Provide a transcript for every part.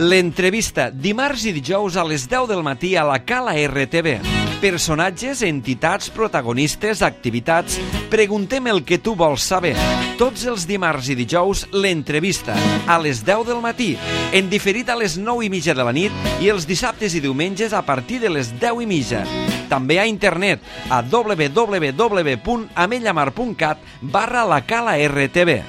L'entrevista, dimarts i dijous a les 10 del matí a la Cala RTV. Personatges, entitats, protagonistes, activitats. Preguntem el que tu vols saber. Tots els dimarts i dijous, l'entrevista, a les 10 del matí, en diferit a les 9:30 de la nit i els dissabtes i diumenges a partir de les 10:30. També a internet a www.amellamar.cat/la Cala RTV.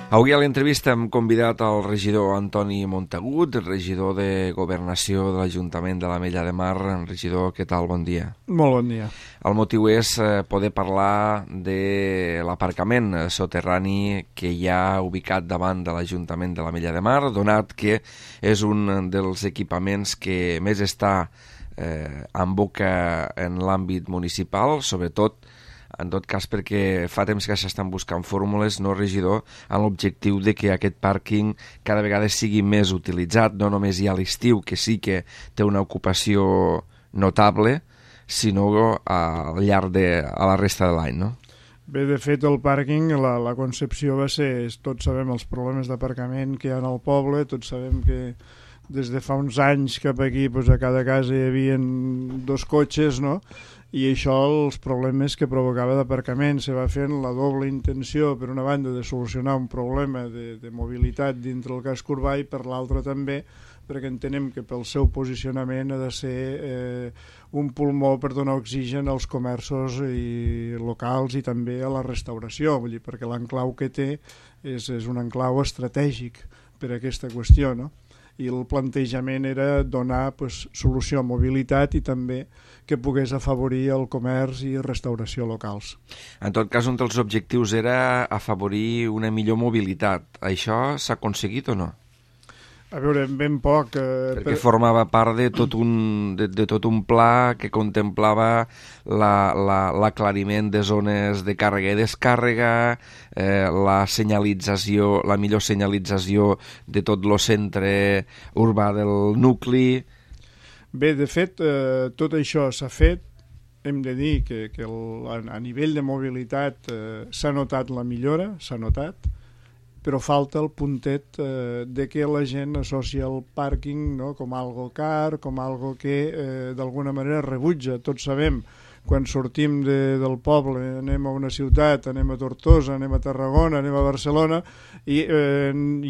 Avui a l'entrevista hem convidat el regidor Antoni Montagut, regidor de Governació de l'Ajuntament de l'Ametlla de Mar. Regidor, què tal? Bon dia. Molt bon dia. El motiu és poder parlar de l'aparcament soterrani que hi ha ubicat davant de l'Ajuntament de l'Ametlla de Mar, donat que és un dels equipaments que més està en boca en l'àmbit municipal, sobretot en tot cas perquè fa temps que s'estan buscant fórmules, no, regidor, amb l'objectiu de que aquest pàrquing cada vegada sigui més utilitzat, no només hi ha l'estiu, que sí que té una ocupació notable, sinó al llarg de la resta de l'any, no? Bé, de fet, el pàrquing, la concepció va ser, tots sabem els problemes d'aparcament que hi ha al poble, tots sabem que des de fa uns anys cap aquí doncs a cada casa hi havia 2 cotxes, no?, i això, els problemes que provocava d'aparcament, se va fent la doble intenció, per una banda, de solucionar un problema de mobilitat dintre el casc urbà i per l'altra també, perquè entenem que pel seu posicionament ha de ser un pulmó per donar oxigen als comerços locals i també a la restauració, vull dir, perquè l'enclau que té és un enclau estratègic per a aquesta qüestió, no? I el plantejament era donar solució a mobilitat i també que pogués afavorir el comerç i restauració locals. En tot cas, un dels objectius era afavorir una millor mobilitat. Això s'ha aconseguit o no? A veure, ben poc. Perquè formava part de tot un pla que contemplava l'aclariment de zones de càrrega i descàrrega, la senyalització, la millor senyalització de tot el centre urbà del nucli. Bé, de fet, tot això s'ha fet. Hem de dir que a nivell de mobilitat s'ha notat la millora, s'ha notat, però falta el puntet de que la gent associa el pàrquing, no?, com algo car, com algo que d'alguna manera rebutja. Tots sabem, quan sortim del poble, anem a una ciutat, anem a Tortosa, anem a Tarragona, anem a Barcelona, i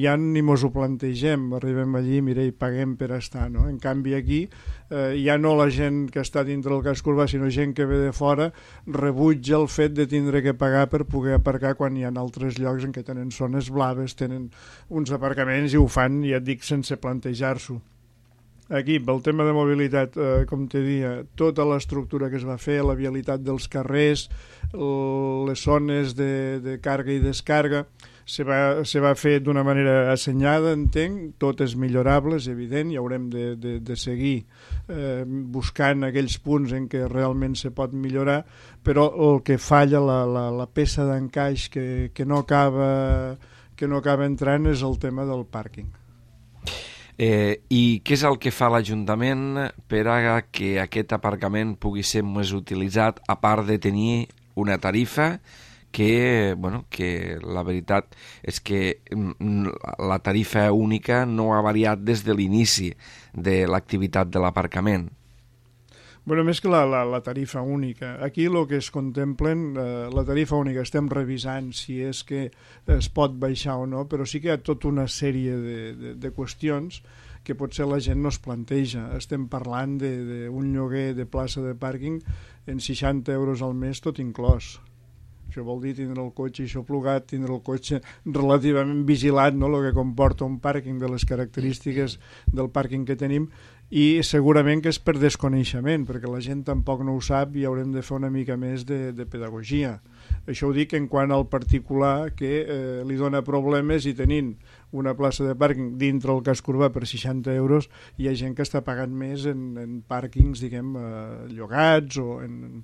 ja ni mos ho plantegem, arribem allí, mira, i paguem per estar, no? En canvi aquí, ja no la gent que està dintre del casc urbà, sinó gent que ve de fora, rebutja el fet de tindre que pagar per poder aparcar quan hi ha altres llocs en què tenen zones blaves, tenen uns aparcaments i ho fan, ja et dic, sense plantejar-s'ho. Aquí, pel tema de mobilitat, com te dia, tota l'estructura que es va fer, la vialitat dels carrers, les zones de càrrega i descàrrega, se va fer d'una manera assenyada, entenc, tot és millorable, és evident, i haurem de seguir buscant aquells punts en què realment se pot millorar, però el que falla, la peça d'encaix que no acaba entrant és el tema del pàrquing. I què és el que fa l'Ajuntament per a que aquest aparcament pugui ser més utilitzat, a part de tenir una tarifa que la veritat és que la tarifa única no ha variat des de l'inici de l'activitat de l'aparcament? Bueno, més que la tarifa única. Aquí el que es contemplen, la tarifa única, estem revisant si és que es pot baixar o no, però sí que hi ha tota una sèrie de qüestions que potser la gent no es planteja. Estem parlant d'un lloguer de plaça de pàrquing en 60 euros al mes, tot inclòs. Això vol dir tindre el cotxe aixoplugat, tindre el cotxe relativament vigilat, no?, el que comporta un pàrquing de les característiques del pàrquing que tenim, i segurament que és per desconeixement, perquè la gent tampoc no ho sap i haurem de fer una mica més de pedagogia. Això ho dic en quant al particular que li dona problemes i tenint una plaça de pàrquing dintre el casc urbà per 60 euros hi ha gent que està pagant més en pàrquings, diguem, llogats o en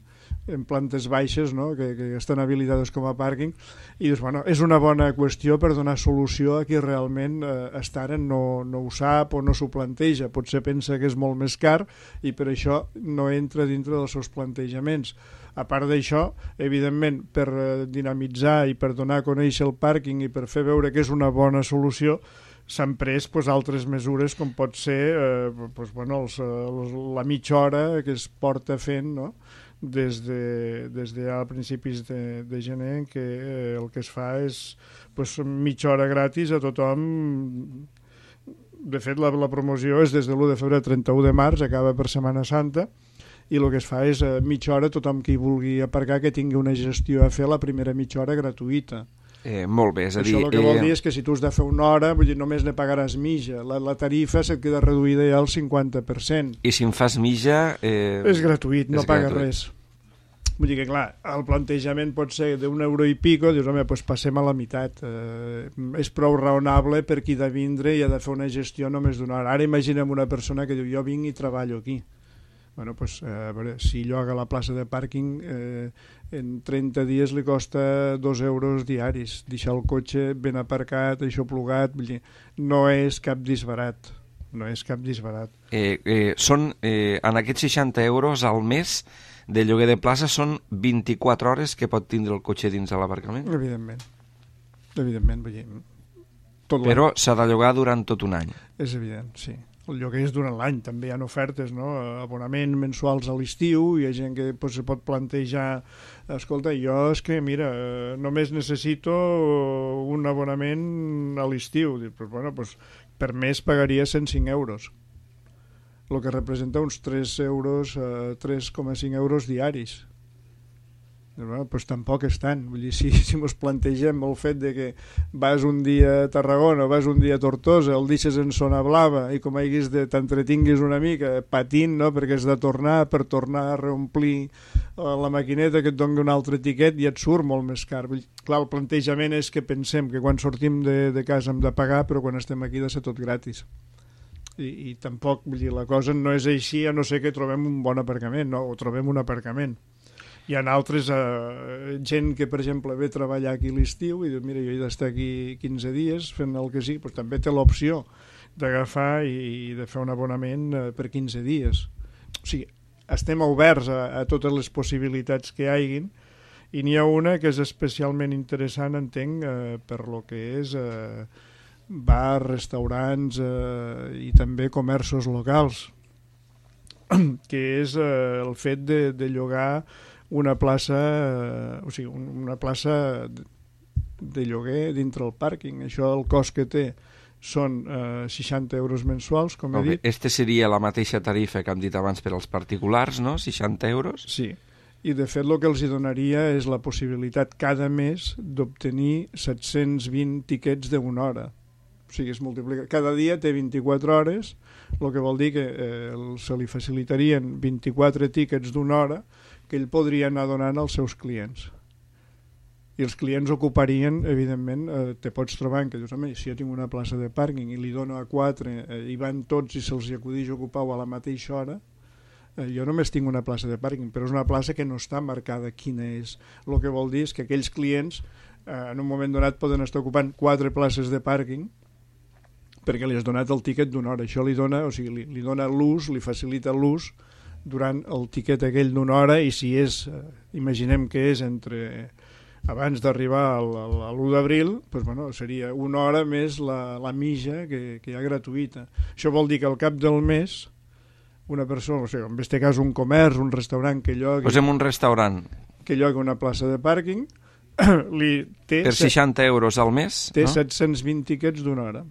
en plantes baixes, no? que estan habilitades com a pàrquing, i dius, bueno, és una bona qüestió per donar solució a qui realment Estaren no ho sap o no s'ho planteja, potser pensa que és molt més car i per això no entra dintre dels seus plantejaments. A part d'això, evidentment, per dinamitzar i per donar a conèixer el pàrquing i per fer veure que és una bona solució, s'han pres altres mesures com pot ser la mitja hora que es porta fent, no? des de a principis de gener, que el que es fa és mitja hora gratis a tothom. De fet, la promoció és des de l'1 de febrer al 31 de març, acaba per Setmana Santa, i el que es fa és mitja hora, tothom que hi vulgui aparcar que tingui una gestió a fer la primera mitja hora gratuïta. Molt bé, és a dir... Això el que vol dir és que si tu has de fer una hora, vull dir, només ne pagaràs mitja. La tarifa se't queda reduïda ja al 50%. I si en fas mitja... És gratuït, no pagues res. Vull dir que, clar, el plantejament pot ser d'€1 i pico, dius, home, doncs passem a la meitat. És prou raonable per qui de vindre i ha de fer una gestió només d'una hora. Ara imaginem una persona que diu, jo vinc i treballo aquí. Bueno, doncs, a veure, si lloga la plaça de pàrquing, en 30 dies li costa €2 diaris. Deixar el cotxe ben aparcat, això plugat, vull dir, no és cap disbarat. No és cap disbarat. Són, en aquests €60 al mes de lloguer de plaça, són 24 hores que pot tindre el cotxe dins de l'aparcament? Evidentment, vull dir... Però s'ha de llogar durant tot un any. És evident, sí. El lloguer és durant l'any, també hi ha ofertes, no? Abonament mensuals a l'estiu, hi ha gent que se pot plantejar, escolta, jo és que, mira, només necessito un abonament a l'estiu. Pues, bueno, pues, per mes pagaria €105, el que representa uns 3,5 euros diaris. Bueno, doncs tampoc és tant. Vull dir, si ens plantegem el fet de que vas un dia a Tarragona o vas un dia a Tortosa, el deixes en zona blava i com haguis t'entretinguis una mica patint, no? Perquè has de tornar per tornar a reomplir la maquineta que et doni un altre tiquet i et surt molt més car. Clar, el plantejament és que pensem que quan sortim de casa hem de pagar, però quan estem aquí ha de ser tot gratis. I tampoc, vull dir, la cosa no és així, a no ser que trobem un bon aparcament, no? O trobem un aparcament. Hi ha altres gent que, per exemple, ve a treballar aquí a l'estiu i diu, mira, jo he d'estar aquí 15 dies fent el que sí, doncs també té l'opció d'agafar i de fer un abonament per 15 dies. O sigui, estem oberts a totes les possibilitats que hi haguin i n'hi ha una que és especialment interessant, entenc, per lo que és bars, restaurants i també comerços locals, que és el fet de llogar una plaça, o sigui, una plaça de lloguer dintre el pàrquing. Això, el cost que té són €60 mensuals, com he dit. Este seria la mateixa tarifa que hem dit abans per als particulars, no? €60? Sí. I, de fet, el que els donaria és la possibilitat cada mes d'obtenir 720 tiquets d'una hora. O sigui, es multiplica. Cada dia té 24 hores, el que vol dir que se li facilitarien 24 tiquets d'una hora que ell podria anar donant als seus clients. I els clients ocuparien, evidentment, te pots trobar que dius, home, si jo tinc una plaça de pàrquing i li dono a 4, i van tots i se'ls acudix ocupar a la mateixa hora, jo només tinc una plaça de pàrquing, però és una plaça que no està marcada quina és. El que vol dir és que aquells clients en un moment donat poden estar ocupant 4 places de pàrquing perquè li has donat el tiquet d'una hora. Això li dona, o sigui, li dona l'ús, li facilita l'ús durant el tiquet aquell d'una hora, i si és, imaginem que és abans d'arribar a l'1 d'abril, doncs, bueno, seria una hora més la mitja que hi ha gratuïta. Això vol dir que al cap del mes una persona, o sigui, en aquest cas un comerç, un restaurant que llogui... Posem un restaurant. Que llogui una plaça de pàrquing, té... Per €60 al mes, té no? 720 tiquets d'una hora.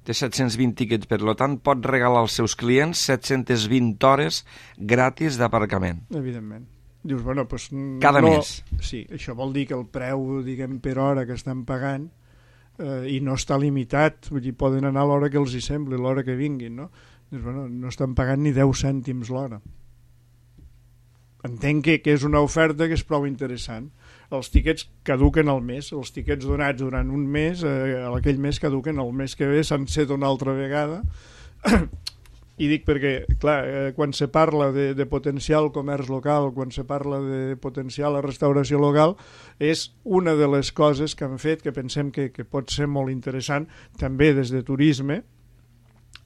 Té 720 tiquets, per tant pot regalar als seus clients 720 hores gratis d'aparcament. Evidentment. Dius, bueno, doncs... Cada mes. Sí, això vol dir que el preu, diguem, per hora que estan pagant i no està limitat, vull dir, poden anar a l'hora que els hi sembli, l'hora que vinguin, no? Dius, bueno, no estan pagant ni 10 cèntims l'hora. Entenc que és una oferta que és prou interessant. Els tiquets caduquen al mes, els tiquets donats durant un mes, aquell mes caduquen, el mes que ve s'han set una altra vegada, I dic perquè, clar, quan se parla de potenciar el comerç local, quan se parla de potenciar la restauració local, és una de les coses que han fet, que pensem que pot ser molt interessant, també des de turisme,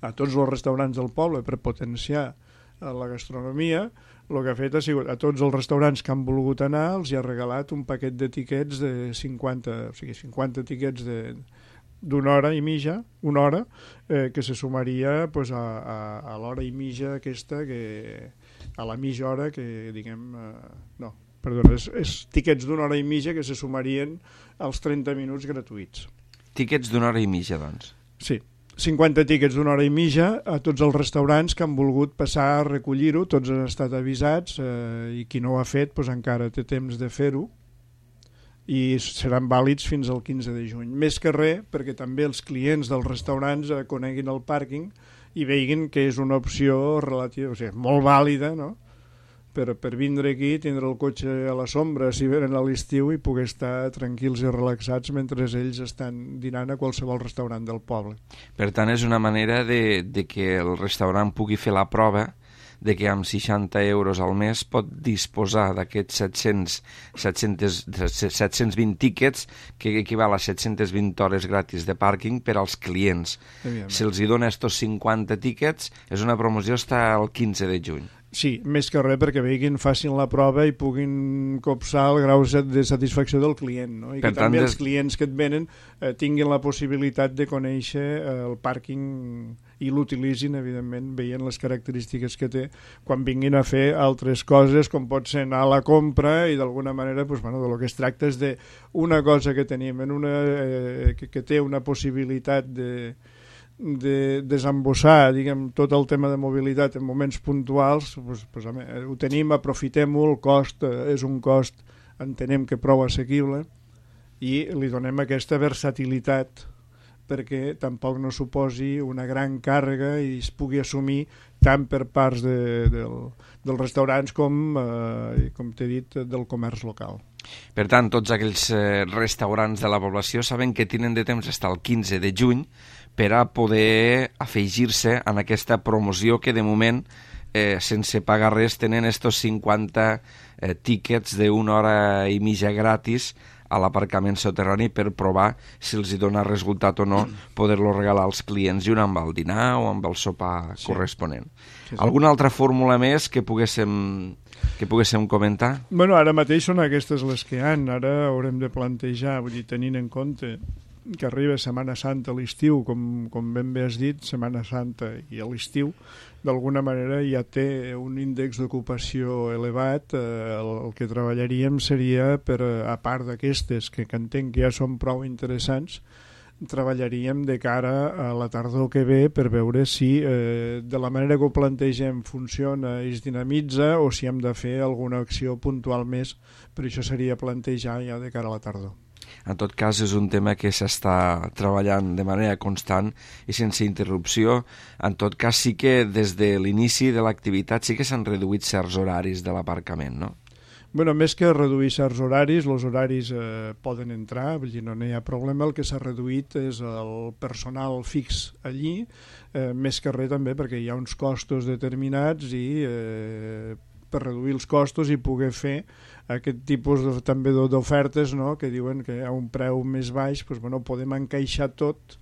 a tots els restaurants del poble, per potenciar la gastronomia. El que ha fet ha sigut, a tots els restaurants que han volgut anar, els hi ha regalat un paquet de tiquets de 50, o sigui, 50 tiquets d'una hora i mitja, una hora, que se sumaria pues, a l'hora i mitja aquesta, a la mitja hora que, diguem... no, perdona, és tiquets d'una hora i mitja que se sumarien als 30 minuts gratuïts. Tiquets d'una hora i mitja, doncs. Sí, 50 tiquets d'una hora i mitja a tots els restaurants que han volgut passar a recollir-ho, tots han estat avisats, i qui no ho ha fet pues, encara té temps de fer-ho, i seran vàlids fins al 15 de juny. Més que res, perquè també els clients dels restaurants coneguin el pàrquing i veguin que és una opció relativa, o sigui, molt vàlida, no? Per vindre aquí, tindre el cotxe a la sombra si venen a l'estiu i poder estar tranquils i relaxats mentre ells estan dinant a qualsevol restaurant del poble. Per tant, és una manera de que el restaurant pugui fer la prova de que amb 60 euros al mes pot disposar d'aquests 720 tíquets que equival a 720 hores gratis de pàrquing per als clients. Si els hi dona estos 50 tíquets, és una promoció fins al 15 de juny. Sí, més que res perquè veguin, facin la prova i puguin copsar el grau de satisfacció del client, no? I que també els clients que et venen tinguin la possibilitat de conèixer el pàrquing i l'utilitzin, evidentment, veient les característiques que té quan vinguin a fer altres coses, com pot ser anar a la compra, i d'alguna manera pues, bueno, de lo que es tracta és d'una cosa que tenim, que té una possibilitat de desembossar, diguem, tot el tema de mobilitat en moments puntuals, pues, ho tenim, aprofitem-ho, el cost és un cost, entenem que prou assequible, i li donem aquesta versatilitat perquè tampoc no suposi una gran càrrega i es pugui assumir tant per parts dels restaurants com t'he dit, del comerç local. Per tant, tots aquells restaurants de la població saben que tenen de temps fins al 15 de juny per a poder afegir-se en aquesta promoció que de moment, sense pagar res, tenen estos 50 tíquets d'una hora i mitja gratis a l'aparcament soterrani per provar si els hi dona resultat o no poder-lo regalar als clients i un amb el dinar o amb el sopar corresponent. Sí. Alguna altra fórmula més que poguéssim comentar? Bueno, ara mateix són aquestes les que hi ha. Ara haurem de plantejar, vull dir, tenint en compte que arriba Setmana Santa a l'estiu, com ben bé has dit, Setmana Santa i a l'estiu, d'alguna manera ja té un índex d'ocupació elevat. El que treballaríem seria, a part d'aquestes, que entenc que ja són prou interessants, treballaríem de cara a la tardor que ve per veure si de la manera que ho plantegem funciona i es dinamitza o si hem de fer alguna acció puntual més. Per això seria plantejar ja de cara a la tardor. En tot cas, és un tema que s'està treballant de manera constant i sense interrupció. En tot cas, sí que des de l'inici de l'activitat sí que s'han reduït certs horaris de l'aparcament, no? Bueno, més que reduir certs horaris, els horaris poden entrar, vull dir, no hi ha problema. El que s'ha reduït és el personal fix allí, més que res també perquè hi ha uns costos determinats i per reduir els costos i poder fer aquest tipus també d'ofertes, no?, que diuen que a un preu més baix doncs, bueno, podem encaixar tot,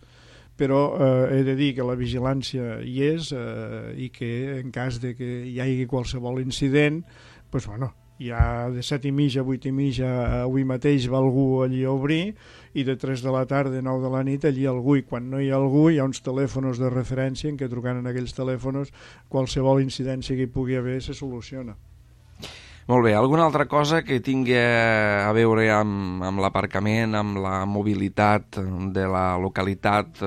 però he de dir que la vigilància hi és i que en cas de que hi hagi qualsevol incident, doncs, bueno, ja de 7:30 a 8:30 avui mateix va algú allí a obrir i de 3 de la tarda a 9 de la nit allí algú, i quan no hi ha algú hi ha uns telèfons de referència en què trucant en aquells telèfons qualsevol incidència que hi pugui haver se soluciona. Molt bé, alguna altra cosa que tingui a veure amb l'aparcament, amb la mobilitat de la localitat,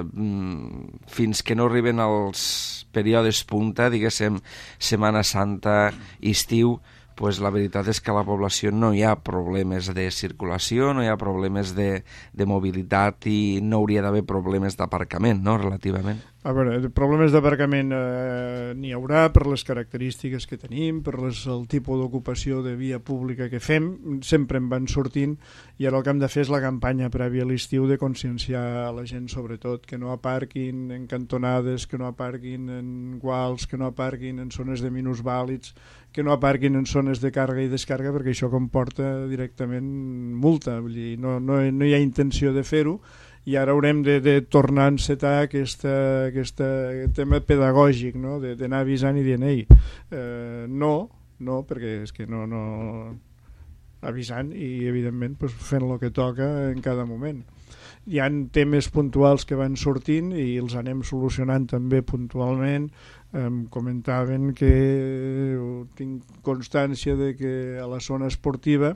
fins que no arriben els períodes punta, diguéssim, Setmana Santa, estiu, pues la veritat és que a la població no hi ha problemes de circulació, no hi ha problemes de mobilitat i no hauria d'haver problemes d'aparcament, no?, relativament. A veure, problemes d'aparcament n'hi haurà per les característiques que tenim, per el tipus d'ocupació de via pública que fem, sempre en van sortint, i ara el que hem de fer és la campanya prèvia a l'estiu de conscienciar a la gent, sobretot, que no aparquin en cantonades, que no aparquin en guals, que no aparquin en zones de minusvàlids, que no aparquin en zones de càrrega i descàrrega, perquè això comporta directament multa. Vull dir, no hi ha intenció de fer-ho, i ara haurem de tornar a encetar aquest tema pedagògic, no? D'anar avisant i dient no, perquè és que no avisant i evidentment pues, fent el que toca en cada moment. Hi ha temes puntuals que van sortint i els anem solucionant també puntualment. Comentaven que tinc constància de que a la zona esportiva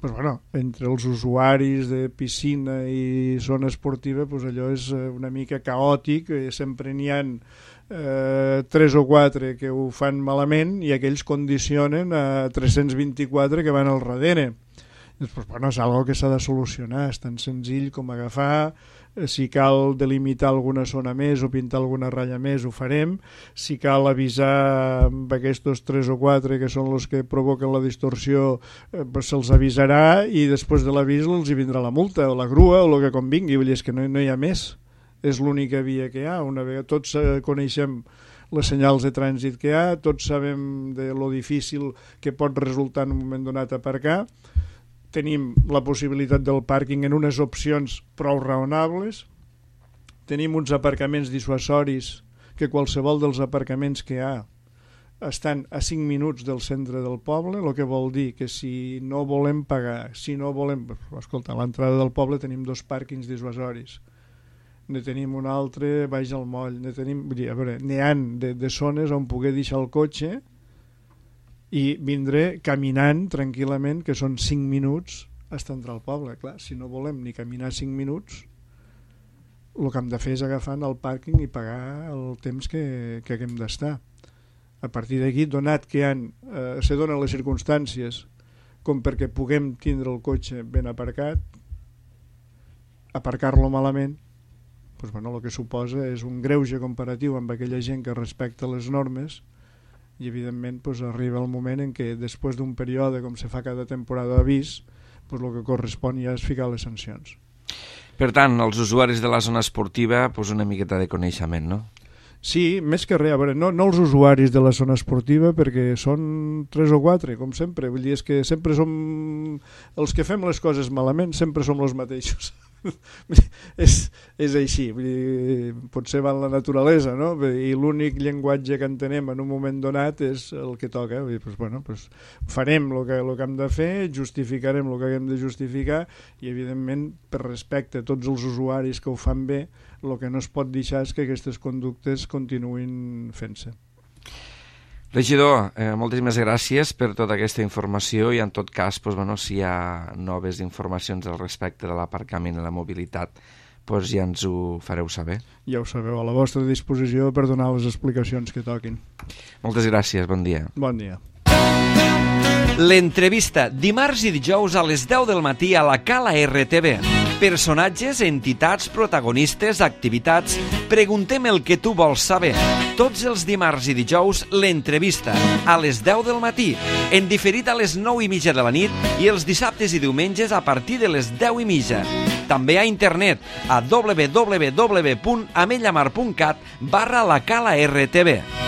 pues bueno, entre els usuaris de piscina i zona esportiva pues allò és una mica caòtic, sempre n'hi ha 3 o 4 que ho fan malament i aquells condicionen a 324 que van al darrere. Pues, bueno, és algo que s'ha de solucionar, és tan senzill com agafar, si cal delimitar alguna zona més o pintar alguna ratlla més, ho farem. Si cal avisar amb aquests 3 o 4 que són els que provoquen la distorsió, pues se'ls avisarà i després de l'avís els hi vindrà la multa o la grua o el que convingui. Vull dir, és que no hi ha més. És l'única via que hi ha. Una vegada tots coneixem les senyals de trànsit que hi ha, tots sabem de lo difícil que pot resultar en un moment donat aparcar. Tenim la possibilitat del pàrquing en unes opcions prou raonables, tenim uns aparcaments dissuasoris que qualsevol dels aparcaments que hi ha estan a 5 minuts del centre del poble, el que vol dir que si no volem pagar, si no volem... Escolta, a l'entrada del poble tenim 2 pàrquings dissuasoris, ne tenim un altre baix al moll, n'hi ha de zones on poder deixar el cotxe i vindré caminant tranquil·lament, que són 5 minuts fins a entrar al poble. Clar, si no volem ni caminar 5 minuts, el que hem de fer és agafar el pàrquing i pagar el temps que haguem d'estar. A partir d'aquí, donat que se donen les circumstàncies com perquè puguem tindre el cotxe ben aparcat, aparcar-lo malament, doncs, bueno, el que suposa és un greuge comparatiu amb aquella gent que respecta les normes. I evidentment pues, arriba el moment en què després d'un període com se fa cada temporada d'avís, pues, el que correspon ja és ficar les sancions. Per tant, els usuaris de la zona esportiva pues, una miqueta de coneixement, no? Sí, més que res, a veure, no els usuaris de la zona esportiva, perquè són 3 o 4, com sempre. Vull dir, és que sempre som... Els que fem les coses malament sempre som els mateixos. és així, vull dir, potser va en la naturalesa, no? I l'únic llenguatge que entenem en un moment donat és el que toca. Vull dir, pues, bueno, pues, farem el que hem de fer, justificarem el que hem de justificar i evidentment per respecte a tots els usuaris que ho fan bé, el que no es pot deixar és que aquestes conductes continuïn fent-se. Regidor, moltíssimes gràcies per tota aquesta informació i en tot cas, doncs, bueno, si hi ha noves informacions al respecte de l'aparcament i la mobilitat, doncs ja ens ho fareu saber. Ja ho sabeu, a la vostra disposició per donar les explicacions que toquin. Moltes gràcies, bon dia. Bon dia. L'entrevista, dimarts i dijous a les 10 del matí a la Cala RTV. Personatges, entitats, protagonistes, activitats... Preguntem el que tu vols saber. Tots els dimarts i dijous, l'entrevista, a les 10 del matí, en diferit a les 9:30 de la nit i els dissabtes i diumenges a partir de les 10:30. També a internet a www.amellamar.cat/la Cala RTV.